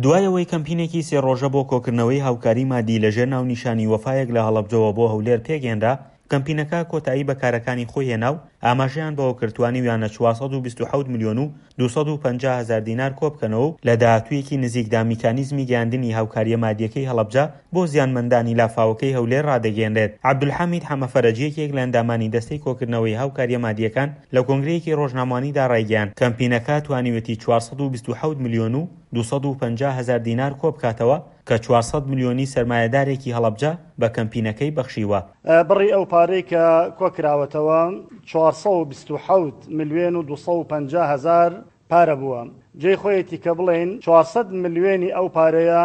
دوای ئەوەی کەمپینێکی سێ ڕۆژە بۆ کۆکردنەوەی هاوکاری مادی لەژێر ناونیشانی وەفایەک لە هەڵەبجەوە بۆ هەولێر پێکهێنرا، کەمپینەکە کۆتایی بە کارەکانی خۆی هێنا و ئاماژەیان بەوەکرد توانیویانە 427 ملیۆن و 250 هەزار دینار کۆبکەنەوە و لە داهاتوویەکی نزیکدا میکانیزمی گەیاندنی هاوکارییە مادییەکەی هەڵەبجە بۆ زیانمەندانی لافاوەکەی هەولێر ڕادەگەیەنرێت. عەبدولحەمید حەمەفەرەج یەکێک لە ئەندامانی دەستەی کۆکردنەوەی هاوکارییە مادییەکان لە کۆنگرەیەکی ڕۆژنامەوانیدا ڕایگەیاند، کەمپینەکە توانیویەتی 427 ملیۆن و 250 هەزار دینار کۆبکاتەوە کە 400 ملیۆنی سەرمایەدارێکی هەڵەبجە بە کەمپینەکەی بەخشیوە. بڕی ئەو پارەی کە کۆکراوەتەوە 427 ملیۆن و 250 هەزار پارە بووە. جێی خۆیەتی کە بڵێین 400 ملیۆنی ئەو پارەیە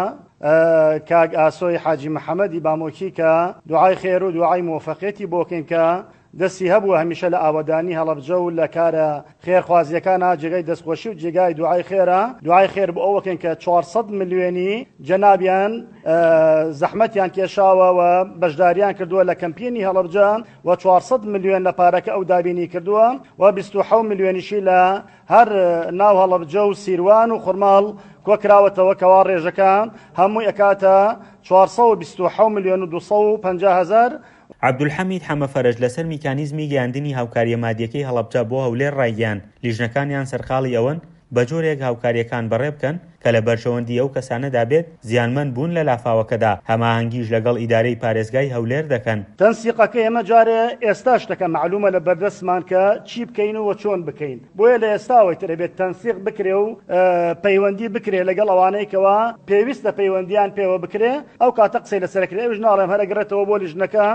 کاک ئاسۆی حاجی محەمەدی بامۆکی کە دوعای خێر و دوعای مۆفەقیەتی بۆ کەین کە دەستی هەبووە هەمیشە لە ئاوەدانی هەڵەبجە و لە کارە خێرخوازیەکانا جێگای دەستخۆشی و جێگای دوعای خێرە، دوعای خێر بۆ ئەوە کەین کە 400 ملیۆنی جەنابیان زەحمەتیان کێشاوە و بەشداریان کردووە لە کەمپینی هەڵەبجە و 400 ملیۆن لە پارەکە ئەو دابینی کردووە و 27 ملیۆنیشی لە هەر ناو هەڵەبجە و سیروان و خورماڵ کۆکراوەتەوە کەوا ڕێژەکە هەمووی ئەکاتە 427 ملیۆن و 250 هەزار. عەبدولحەمید حەمەفەرەج لەسەر میکانیزمی گەیاندنی هاوکارییە مادییەکەی هەڵەبجە بۆ هەولێر ڕایگەیاند، لیژنەکانیان سەرقاڵی ئەوەن بەجۆرێک هاوکارییەکان بەڕێبکەن کە لە بەرژەوەندی ئەو کەسانەدا بێت زیانمەند بوون لە لافاوەکەدا، هەماهەنگیش لەگەڵ ئیدارەی پارێزگای هەولێر دەکەن. تەنسیقەکە ئێمە جارێ ئێستا شتەکە مەعلومە لە بەردەستمان کە چی بکەین و چۆن بکەین بۆیە لە ئێستاوە ئیتر ئەبێت تەنسیق بکرێ و پەیوەندی بکرێ لەگەڵ ئەوانەی کەوا پێویستە پەیوەندیان پێوە بکرێ ئەو کاتە قسەی لەسەر ئەکرێ ئەویش ناڵێم هەر ئەگەڕێتەوە بۆ لیژنەکە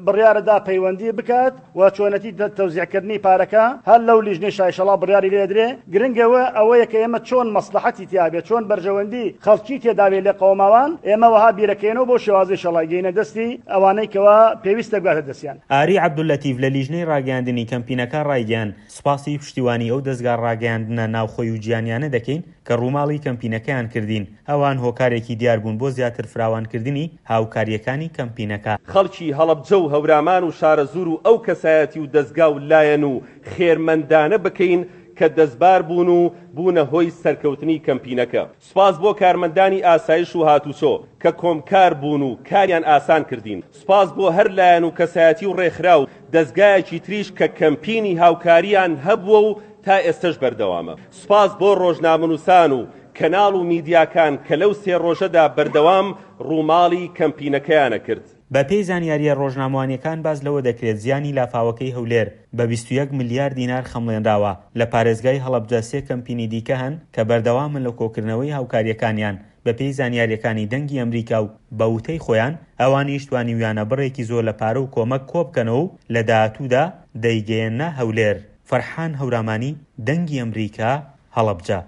بڕیارەدا پەیوەندی بکات و چۆنەتی تەوزیعکردنی پارەکە هەر لەو لیژنەی شایشەڵا بڕیاری لێ ئەدرێ، گرنگ ئەوە ئەوەیە کە ئێمە چۆن مەسڵەحەتی تیا بێ، چۆن بەرژەوەندی خەڵکی تێدا بێ لێقەوماوان، ئێمە وەها بیرەکەینەوە بەو شێوازەی شەڵا گەینە دەستی ئەوانەی کەوا پێویستە بگاتە دەستیان. ئاری عەبدوللەتیف لە لیژنەی ڕاگەیاندنی کەمپینەکە ڕایگەیاند، سوپاسی پشتیوانی ئەو دەزگا ڕاگەیاندنە ناوخۆی و جیهانیانە دەکەین کە ڕووماڵی کەمپینەکەیان کردین، ئەوان هۆکارێکی دیار بوون بۆ زیاتر فراوانکردنی هاوکارییەکانی کەمپینەکە. خەڵکی هەڵەبجە و هەورامان و شارەزوور و ئەو کەسایەتی و دەزگا و لایەن و خێرمەندانە بکەین کە دەستبار بوون و بوونە هۆی سەرکەوتنی کەمپینەکە. سوپاس بۆ کارمەندانی ئاسایش و هاتوچۆ کە کۆمکار بوون و کاریان ئاسان کردین. سوپاس بۆ هەر لایەن و کەسایەتی و ڕێکخراو و دەزگایەکی تریش کە کەمپینی هاوکاریان هەبووە و تا ئێستەش بەردەوامە. سوپاس بۆ ڕۆژنامەنووسان و کەناڵ و میدیاکان کە لەو سێ ڕۆژەدا بەردەوام ڕووماڵی کەمپینەکەیانە کرد. بە پێی زانیارییە ڕۆژنامەوانییەکان باس لەوە دەکرێت زیانی لافاوەکەی هەولێر بە 21 ملیار دینار خەمڵێنراوە، لە پارێزگای هەڵەبجە سێ کەمپینی دیکە هەن کە بەردەوامن لە کۆکردنەوەی هاوکارییەکانیان، بە پێی زانیارییەکانی دەنگی ئەمریکا و بە وتەی خۆیان ئەوانیش توانیویانە بڕێکی زۆر لە پارە و کۆمەک کۆبکەنەوە و لە داهاتوودا دەیگەیەننە هەولێر. فەرحان هەورامانی، دەنگی ئەمریکا، هەڵەبجە.